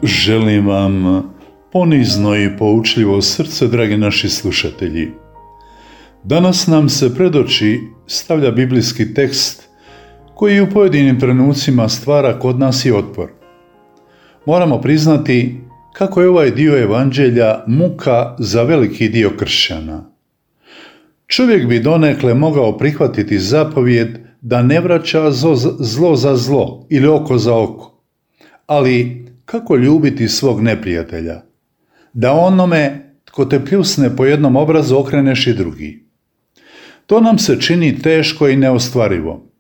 Želim vam ponizno i poučljivo srce, dragi naši slušatelji. Danas nam se pred oči stavlja biblijski tekst koji u pojedinim trenucima stvara kod nas i otpor. Moramo priznati kako je ovaj dio evanđelja muka za veliki dio kršćana. Čovjek bi donekle mogao prihvatiti zapovjed da ne vraća zlo za zlo ili oko za oko. Ali kako ljubiti svog neprijatelja? Da onome tko te pljusne po jednom obrazu okreneš i drugi. To nam se čini teško i neostvarivo.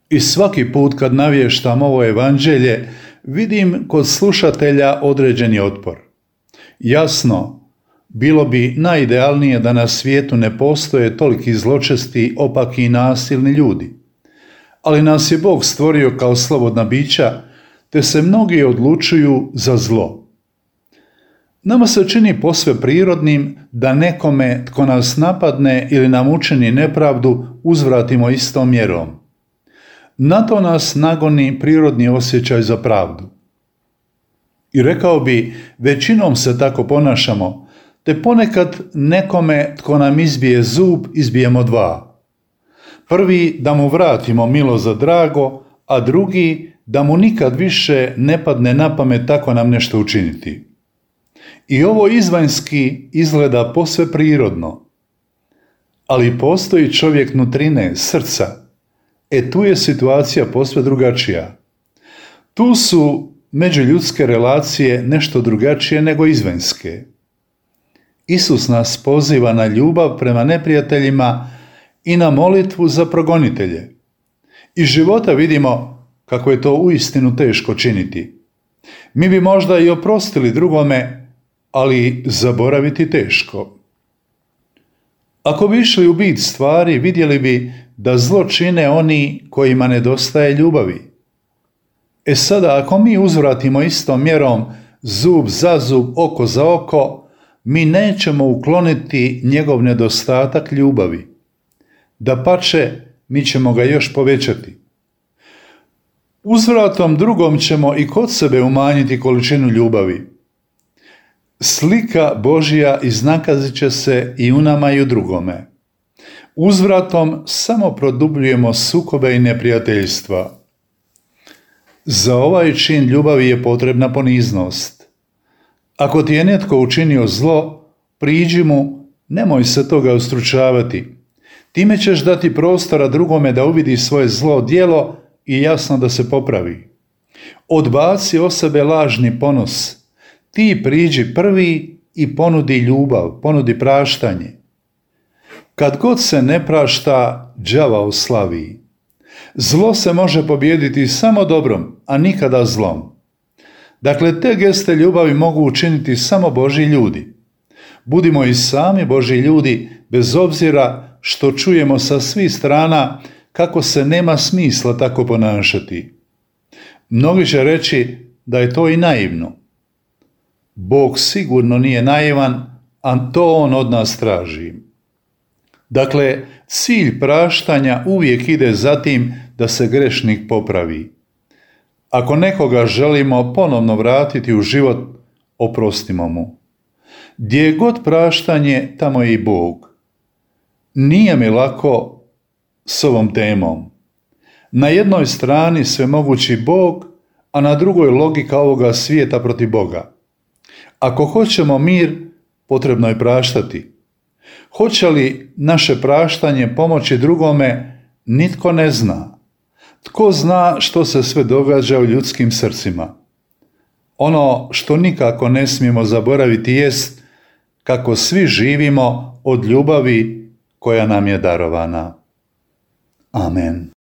I svaki put kad navještam ovo evanđelje, vidim kod slušatelja određeni otpor. Jasno, bilo bi najidealnije da na svijetu ne postoje toliki zločesti, opaki i nasilni ljudi. Ali nas je Bog stvorio kao slobodna bića, te se mnogi odlučuju za zlo. Nama se čini posve prirodnim da nekome tko nas napadne ili nam učini nepravdu uzvratimo istom mjerom. Na to nas nagoni prirodni osjećaj za pravdu. I rekao bi, većinom se tako ponašamo, te ponekad nekome tko nam izbije zub, izbijemo dva. Prvi da mu vratimo milo za drago, a drugi da mu nikad više ne padne na pamet tako nam nešto učiniti. I ovo izvanjski izgleda posve prirodno. Ali postoji čovjek nutrine, srca. Tu je situacija posve drugačija. Tu su međuljudske relacije nešto drugačije nego izvanjske. Isus nas poziva na ljubav prema neprijateljima i na molitvu za progonitelje. Iz života vidimo kako je to uistinu teško činiti. Mi bi možda i oprostili drugome, ali zaboraviti teško. Ako bi išli u bit stvari, vidjeli bi da zlo čine oni kojima nedostaje ljubavi. Sada, ako mi uzvratimo istom mjerom zub za zub, oko za oko, mi nećemo ukloniti njegov nedostatak ljubavi. Dapače, mi ćemo ga još povećati. Uzvratom drugom ćemo i kod sebe umanjiti količinu ljubavi. Slika Božja iznakazit će se i u nama i u drugome. Uzvratom samo produbljujemo sukobe i neprijateljstva. Za ovaj čin ljubavi je potrebna poniznost. Ako ti je netko učinio zlo, priđi mu, nemoj se toga ustručavati. Time ćeš dati prostora drugome da uvidi svoje zlo djelo i jasno da se popravi. Odbaci o sebe lažni ponos. Ti priđi prvi i ponudi ljubav, ponudi praštanje. Kad god se ne prašta, đavao slavi. Zlo se može pobijediti samo dobrom, a nikada zlom. Dakle, te geste ljubavi mogu učiniti samo Božji ljudi. Budimo i sami Božji ljudi, bez obzira što čujemo sa svih strana kako se nema smisla tako ponašati. Mnogi će reći da je to i naivno. Bog sigurno nije naivan, a to On od nas traži. Dakle, cilj praštanja uvijek ide za tim da se grešnik popravi. Ako nekoga želimo ponovno vratiti u život, oprostimo mu. Gdje je god praštanje, tamo je i Bog. Nije mi lako s ovom temom. Na jednoj strani svemogući Bog, a na drugoj logika ovoga svijeta protiv Boga. Ako hoćemo mir, potrebno je praštati. Hoće li naše praštanje pomoći drugome, nitko ne zna. Tko zna što se sve događa u ljudskim srcima? Ono što nikako ne smijemo zaboraviti jest kako svi živimo od ljubavi koja nam je darovana. Amen.